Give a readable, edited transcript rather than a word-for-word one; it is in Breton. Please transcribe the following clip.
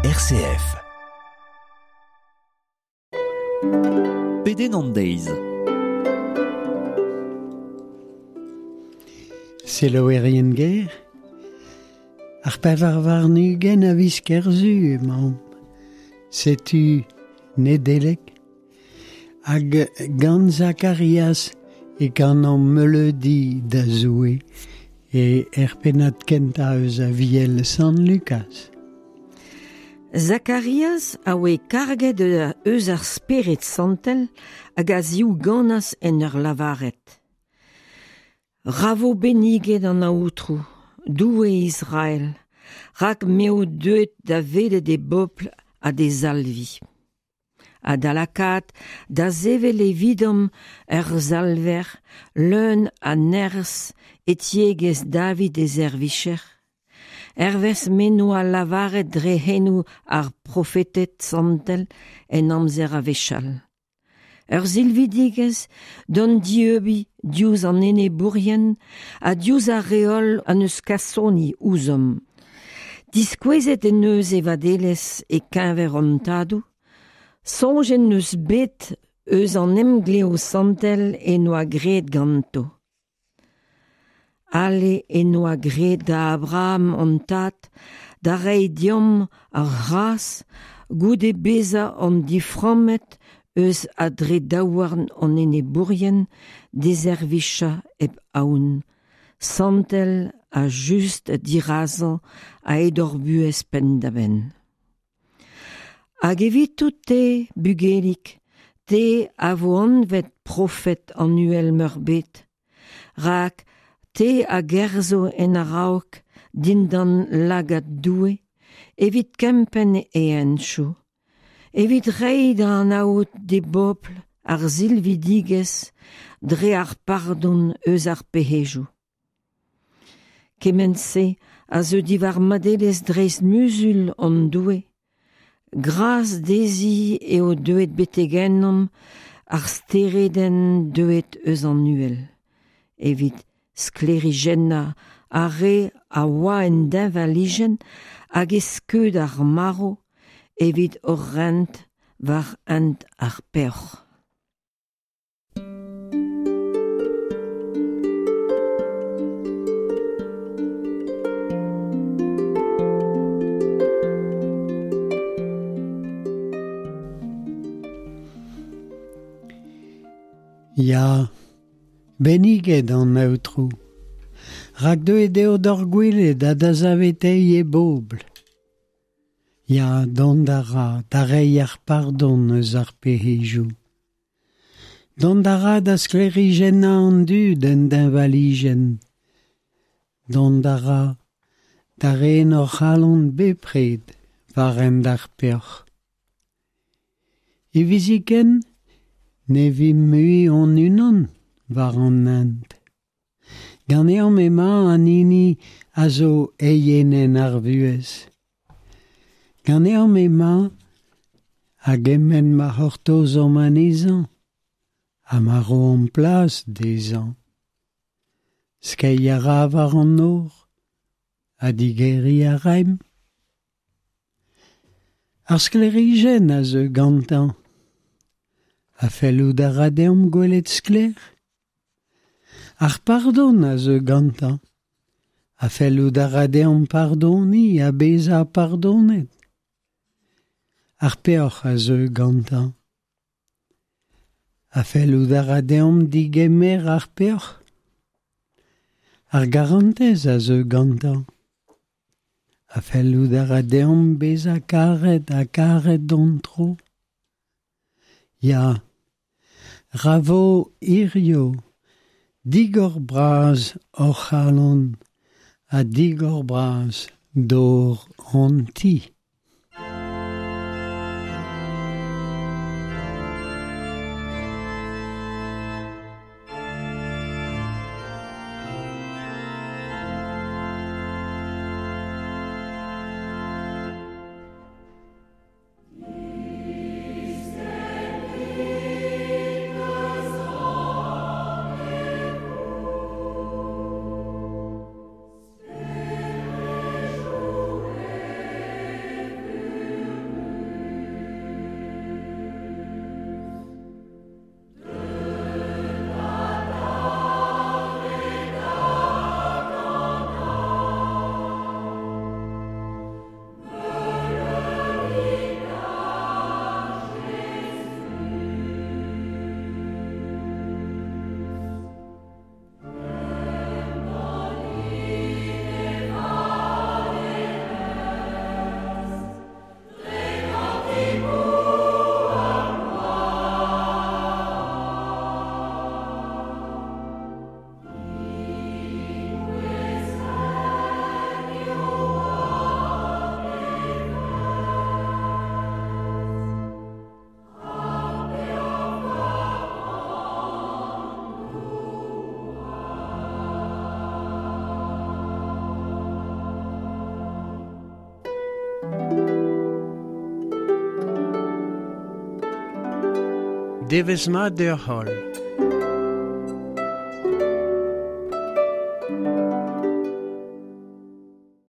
RCF. Pedenn an deiz. Selaouerien ger, ar 24 a viz Kerzu emaomp. Setu Nedeleg hag gant Zakarias e kanomp meuleudi da Zoue e er pennad kentañ eus Aviel Sant Lukaz. Zakarias a oe karget eus ar Spered Santel hag a ziouganas en ur lavaret. Ra vo benniget an Aotrou, Doue Israel, rak m'eo deuet da welet e bobl ha d'e salviñ. Ha da lakaat da sevel evidomp ur salver leun a nerzh e tiegezh David e servijer, hervez m'en doa lavaret dre c'henoù ar profeted santel en amzer a-wechall. Ur silvidigezh d'hon dieubiñ diouzh an enebourien ha diouzh ar re holl en deus kasoni ouzhomp. Diskouezet en deus e vadelezh e-keñver hon tadoù, soñj en deus bet eus an emglev santel en doa graet ganto. Ale en doa graet da Abraham hon tad da reiñ deomp ar c'hras goude bezañ hon diframmet eus a-dre daouarn hon enebourien d'e servijañ hep aon, santel ha just dirazañ a-hed hor buhez penn-da-benn. Hag evitout-te, bugelig, te a vo anvet profed an Uhel-Meurbet, rak te a gerzho en a-raok dindan lagad Doue evit kempenn e hentoù, evit reiñ da anaout d'e bobl ar silvidigezh dre ar pardon eus ar pec'hedoù. Kement-se a zeu diwar madelezh dreist-muzul hon Doue, Gras dezhi eo deuet betek ennomp ar steredenn deuet eus an uhel, evit sklêrijennañ ar re a oa en deñvalijenn hag e skeud ar marv evit hor rent war hent ar peoc'h. Ya, benniget an Aotrou, rak deuet eo d'hor gwelet ha da saveteiñ e bobl. Ya, dont a ra da reiñ ar pardon eus ar pec'hedoù. Dont a ra da sklêrijennañ an dud en deñvalijenn. Dont a ra da ren hor c'halon bepred war hent ar peoc'h. Hiviziken ne vimp mui hon-unan war an hent. Ganeomp emañ an hini a zo eienenn ar vuhez. Ganeomp emañ a-gement ma c'hortozomp anezhañ ha ma roomp plas dezhañ. Skeiñ a ra war an nor ha digeriñ a raimp. Ar sklêrijenn a zeu gantañ. Ha fellout a ra deomp gwelet sklaer ? Ar pardon a zeu gantañ. Ha fellout a ra deomp pardoniñ ha bezañ pardonet ? Ar peoc'h a zeu gantañ. Ha fellout a ra deomp degemer ar peoc'h ? Ar garantez a zeu gantañ. Ha fellout a ra deomp bezañ karet ha karet d'hon tro ? Ya, ra vo hiziv digor-bras hor c'halon ha digor-bras dor hon ti. Devezh mat deoc'h holl.